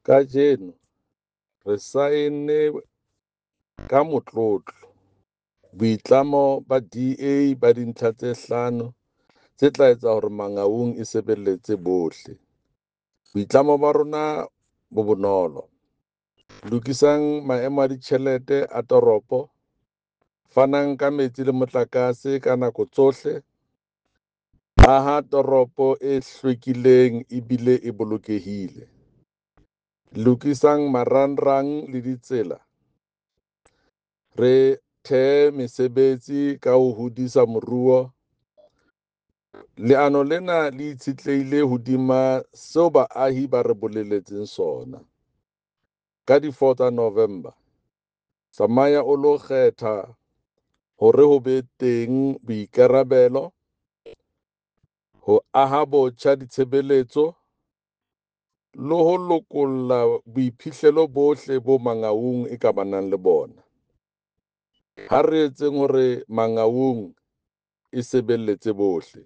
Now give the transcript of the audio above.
Kajeno re saenne ka motlotlo boitlamo ba DA ba dintlha tse hlano tse tla etsa hore Mangaung e sebeletse bohle. Boitlamo ba rona bo bonolo, lokisang maemo a ditjhelete a toropo, fanang ka metsi le motlakase ka nako tsohle, aha toropo e hlwekileng ebile e bolokehile, lokisang marangrang le ditsela, re thee mesebetsi ka ho hodisa moruo. Leano lena le itshetlehile hodima seo baahi ba re bolelletseng sona. Ka di 4 tsa Novemba, tsamaya o lo kgetha hore ho be teng boikarabelo, ho aha botjha ditshebeletso le ho lokolla boiphihlelo bohle boo Mangaung e ka banang le bona. Ha re etseng hore Mangaung e sebeletse bohle.